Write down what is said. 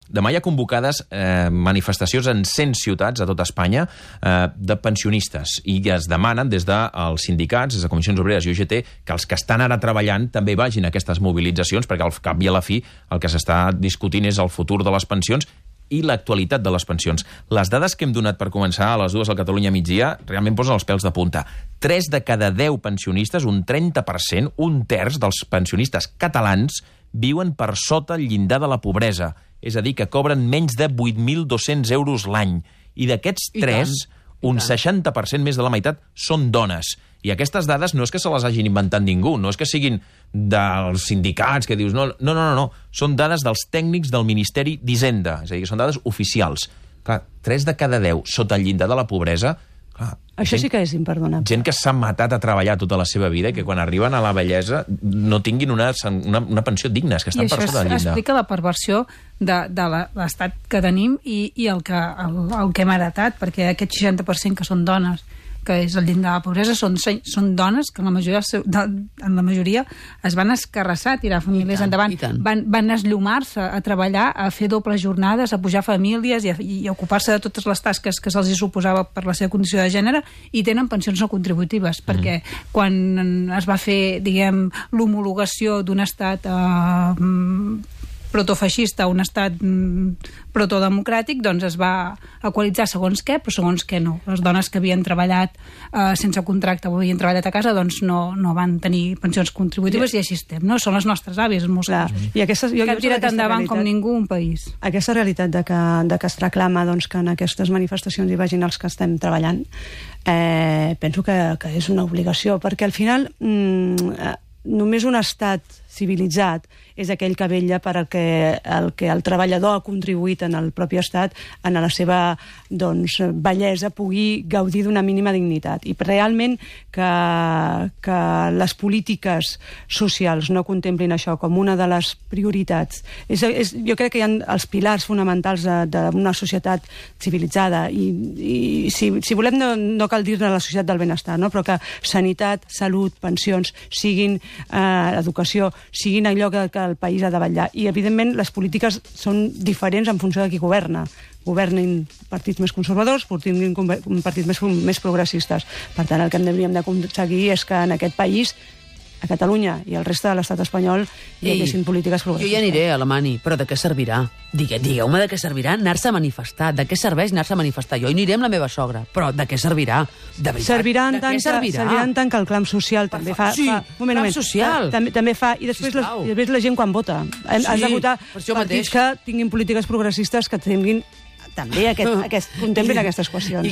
Demà hi ha convocades manifestacions en 100 ciutats a tot Espanya de pensionistes i es demanen des dels sindicats, des de Comissions Obreres i UGT, que els que estan ara treballant també vagin a aquestes mobilitzacions, perquè al cap i a la fi el que s'està discutint és el futur de les pensions i l'actualitat de les pensions. Les dades que hem donat per començar a les 2 al Catalunya migdia realment posen els pèls de punta. 3 de cada 10 pensionistes, un 30%, un terç dels pensionistes catalans viuen per sota el llindar de la pobresa. És a dir, que cobren menys de 8.200 euros l'any. I d'aquests 3, un 60% més de la meitat són dones. I aquestes dades no és que se les hagin inventat ningú, no és que siguin dels sindicats que dius no. Són dades dels tècnics del Ministeri d'Hisenda, és a dir, que són dades oficials. Clar, 3 de cada 10 sota el llindar de la pobresa. Clar, això sí que és imperdonable. Gent que s'ha matat a treballar tota la seva vida i que quan arriben a la vellesa no tinguin una pensió digna, és que estan per sota del llindar. I això explica la perversió de l'estat que tenim i el que hem heretat, perquè aquest 60% que són dones, que és el llindar de la pobresa, són dones que en la majoria es van escarrassar, tirar famílies endavant, van esllomar-se a treballar, a fer dobles jornades, a pujar famílies i a ocupar-se de totes les tasques que se'ls suposava per la seva condició de gènere, i tenen pensions no contributives, perquè quan es va fer, diguem, l'homologació d'un estat protofeixista a un estat protodemocràtic, doncs es va equalitzar segons què, però segons què no. Les dones que havien treballat sense contracte o havien treballat a casa, doncs no van tenir pensions contributives i així estem, no? Són les nostres àvies, en molts casos. I que han tirat endavant com ningú un país. Aquesta realitat de que es reclama que en aquestes manifestacions hi vagin els que estem treballant, penso que és una obligació, perquè al final només un estat civilitzat és aquell que vetlla per el que el treballador ha contribuït en el propi estat, en la seva bellesa, pugui gaudir d'una mínima dignitat. I realment que les polítiques socials no contemplin això com una de les prioritats. Jo crec que hi ha els pilars fonamentals d'una societat civilitzada i si volem no cal dir-ne la societat del benestar, no? Però que sanitat, salut, pensions siguin educació, siguin allò que el país ha de vetllar. I, evidentment, les polítiques són diferents en funció de qui governa. Governin partits més conservadors, tinguin partits més progressistes. Per tant, el que hauríem d'aconseguir és que en aquest país, a Catalunya i el reste de l'estat espanyol, hi haguessin polítiques progressistes. Jo ja aniré a Alemany, però de què servirà? Digueu-me de què servirà anar-se a manifestar. De què serveix anar-se a manifestar? Jo hi aniré amb la meva sogra, però de què servirà? De veritat, servirà en tant que el clam social també fa... Sí, clam social. També fa... I després la gent quan vota. Has de votar partits que tinguin polítiques progressistes que tinguin també contemplin aquestes qüestions.